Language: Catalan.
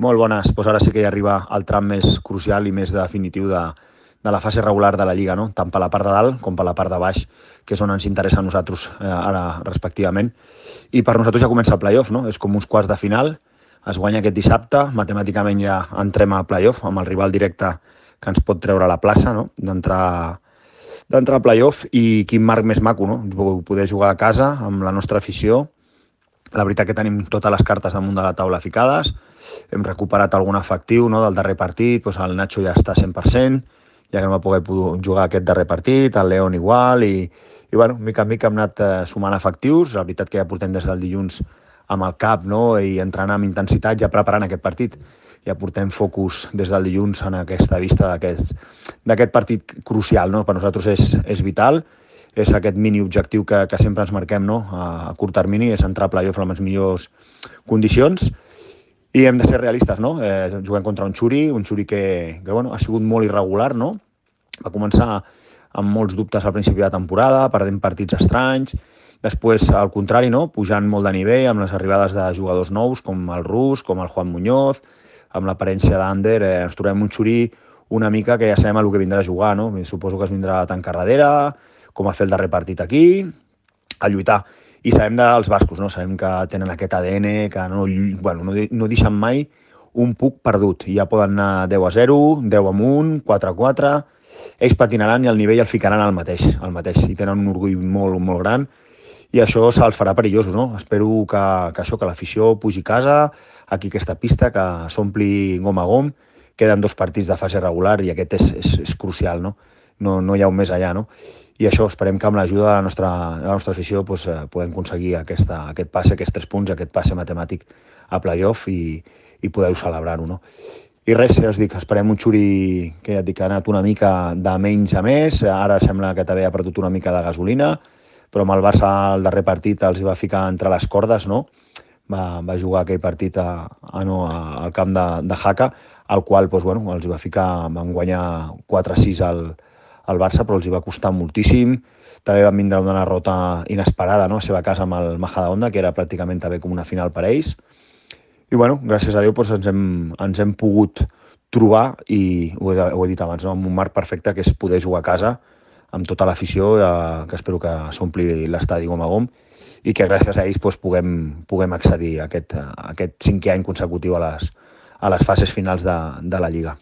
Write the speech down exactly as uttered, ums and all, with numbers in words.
Molt bones. Doncs ara sí que hi arriba el tram més crucial i més definitiu de, de la fase regular de la Lliga, no? Tant per la part de dalt com per la part de baix, que és on ens interessa a nosaltres eh, ara respectivament. I per nosaltres ja comença el play-off, no? És com uns quarts de final, es guanya aquest dissabte, matemàticament ja entrem a play-off amb el rival directe que ens pot treure a la plaça, no? D'entrar d'entrar a play-off, i quin marc més maco, no? Poder jugar a casa amb la nostra afició. La veritat que tenim totes les cartes damunt de la taula ficades, hem recuperat algun efectiu, no, del darrer partit, doncs el Nacho ja està cent per cent, ja que no va poder jugar aquest darrer partit, el León igual, i, i bueno, mica en mica hem anat eh, sumant efectius. La veritat que ja portem des del dilluns amb el cap, no, i entrenant amb intensitat, ja preparant aquest partit. Ja portem focus des del dilluns en aquesta vista d'aquest partit crucial, no? Per nosaltres és, és vital, és aquest mini objectiu que, que sempre ens marquem, no? A, a curt termini, és entrar a playoff amb les millors condicions, i hem de ser realistes, no? Eh, juguem contra un Xuri, un Xuri que, que bueno, ha sigut molt irregular, no? Va començar amb molts dubtes al principi de temporada, perdent partits estranys, després, al contrari, no? Pujant molt de nivell amb les arribades de jugadors nous, com el Rus, com el Juan Muñoz, amb l'aparència d'Ander, eh, ens trobem un Xuri una mica que ja sabem el que vindrà a jugar, no? Suposo que es vindrà a tancar darrere, com a fer el darrer partit aquí, a lluitar. I sabem dels bascos, no? Sabem que tenen aquest A D N, que no, bueno, no, no deixen mai un puc perdut. Ja poden anar deu a zero, deu amunt, quatre a quatre, ells patinaran i el nivell el ficaran al mateix, al mateix. I tenen un orgull molt, molt gran, i això se'ls farà perillosos, no? Espero que, que això, que l'afició pugi a casa, aquí aquesta pista, que s'ompli gom a gom. Queden dos partits de fase regular i aquest és, és, és crucial, no? No, no hi ha un més allà, no? I això, esperem que amb l'ajuda de la nostra, de la nostra afició doncs, eh, podem aconseguir aquesta, aquest passe, aquests tres punts, aquest passe matemàtic a play-off i, i poder-ho celebrar-ho, no? I res, ja us dic, esperem un Xuri que ja et dic, ha anat una mica de menys a més, ara sembla que també ha perdut una mica de gasolina, però amb el Barça el darrer partit els va ficar entre les cordes, no? Va, va jugar aquell partit a, a, no, a, al camp de, de Jaca, al qual doncs, bueno, els va ficar, van guanyar quatre a sis al, al Barça, però els hi va costar moltíssim. També van vindre una derrota inesperada, no?, a la seva casa amb el Majadahonda, que era pràcticament també com una final per a ells. I bueno, gràcies a Déu doncs, ens, hem, ens hem pogut trobar, i ho he, ho he dit abans, no?, amb un marc perfecte, que és poder jugar a casa amb tota l'afició, eh, que espero que s'ompli l'estadi gom a gom, i que gràcies a ells doncs, puguem, puguem accedir a aquest, a aquest cinquè any consecutiu a les, a les fases finals de, de la Lliga.